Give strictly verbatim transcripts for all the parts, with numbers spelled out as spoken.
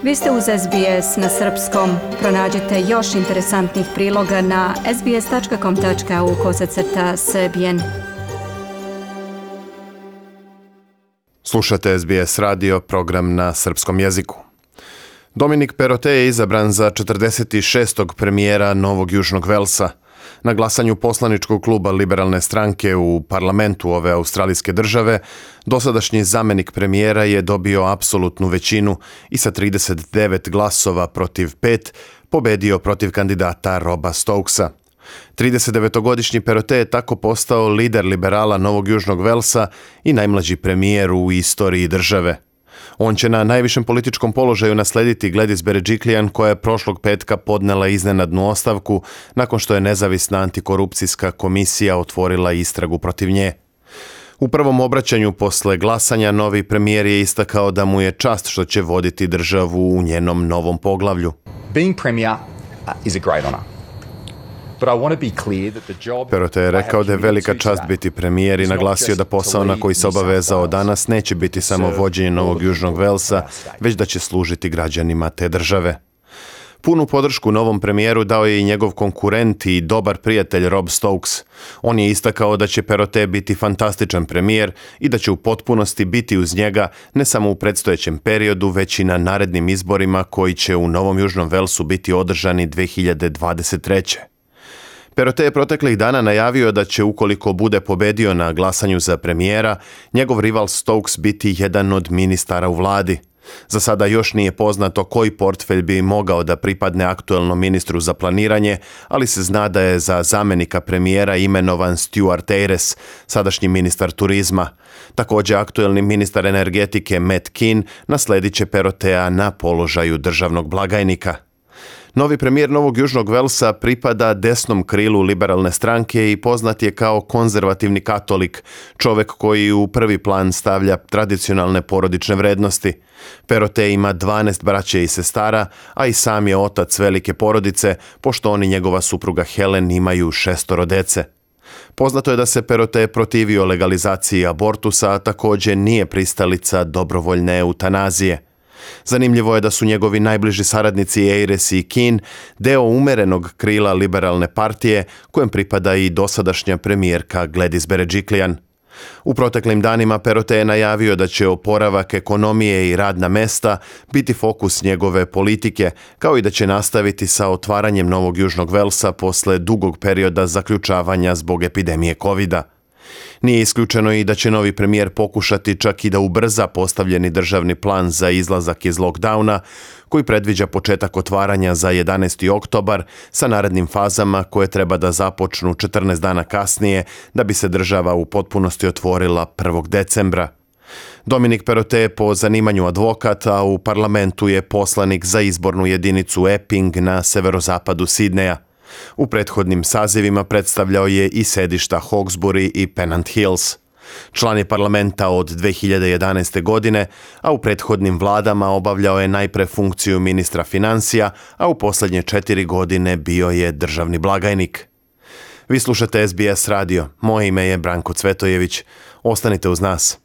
Vi ste uz S B S na srpskom. Pronađite još interesantnih priloga na sbs.com.au kosacrta srbijen. Slušate S B S radio, program na srpskom jeziku. Dominic Perrottet je izabran za četrdeset šestog premijera Novog Južnog Velsa. Na glasanju poslaničkog kluba Liberalne stranke u parlamentu ove australijske države, dosadašnji zamenik premijera je dobio apsolutnu većinu i sa trideset devet glasova protiv pet pobedio protiv kandidata Roba Stokesa. tridesetdevetogodišnji Perrottet je tako postao lider liberala Novog Južnog Velsa i najmlađi premijer u istoriji države. On će na najvišem političkom položaju naslediti Gladys Berejiklian, koja je prošlog petka podnela iznenadnu ostavku nakon što je nezavisna antikorupcijska komisija otvorila istragu protiv nje. U prvom obraćanju posle glasanja novi premijer je istakao da mu je čast što će voditi državu u njenom novom poglavlju. Being premier is a great honor. Perrottet je rekao da je velika čast biti premijer i naglasio da posao na koji se obavezao danas neće biti samo vođenje Novog Južnog Velsa, već da će služiti građanima te države. Punu podršku novom premijeru dao je i njegov konkurent i dobar prijatelj Rob Stokes. On je istakao da će Perrottet biti fantastičan premijer i da će u potpunosti biti uz njega ne samo u predstojećem periodu, već i na narednim izborima koji će u Novom Južnom Velsu biti održani dve hiljade dvadeset treće. Perrottet je proteklih dana najavio da će, ukoliko bude pobedio na glasanju za premijera, njegov rival Stokes biti jedan od ministara u vladi. Za sada još nije poznato koji portfelj bi mogao da pripadne aktuelnom ministru za planiranje, ali se zna da je za zamenika premijera imenovan Stuart Ayres, sadašnji ministar turizma. Također aktuelni ministar energetike Matt Kean nasledit će Perrottea na položaju državnog blagajnika. Novi premijer Novog Južnog Velsa pripada desnom krilu liberalne stranke i poznat je kao konzervativni katolik, čovek koji u prvi plan stavlja tradicionalne porodične vrednosti. Perrottet ima dvanaest braće i sestara, a i sam je otac velike porodice, pošto on i njegova supruga Helen imaju šestoro dece. Poznato je da se Perrottet protivio legalizaciji abortusa, a također nije pristalica dobrovoljne eutanazije. Zanimljivo je da su njegovi najbliži saradnici Ayres i Kean deo umerenog krila liberalne partije, kojem pripada i dosadašnja premijerka Gladys Berejiklian. U proteklim danima Perrottet je najavio da će oporavak ekonomije i radna mesta biti fokus njegove politike, kao i da će nastaviti sa otvaranjem Novog Južnog Velsa posle dugog perioda zaključavanja zbog epidemije kovida. Nije isključeno i da će novi premijer pokušati čak i da ubrza postavljeni državni plan za izlazak iz lockdowna, koji predviđa početak otvaranja za jedanaesti oktobar sa narednim fazama koje treba da započnu četrnaest dana kasnije da bi se država u potpunosti otvorila prvog decembra. Dominic Perrottet je po zanimanju advokat, a u parlamentu je poslanik za izbornu jedinicu Epping na severozapadu Sidneja. U prethodnim sazivima predstavljao je i sedišta Hawkesbury i Pennant Hills. Član je parlamenta od dve hiljade jedanaeste. godine, a u prethodnim vladama obavljao je najpre funkciju ministra financija, a u posljednje četiri godine bio je državni blagajnik. Vi slušate S B S radio. Moje ime je Branko Cvetojević. Ostanite uz nas.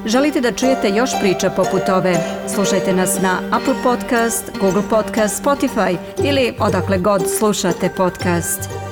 Želite da čujete još priča poput ove? Slušajte nas na Apple Podcast, Google Podcast, Spotify ili odakle god slušate podcast.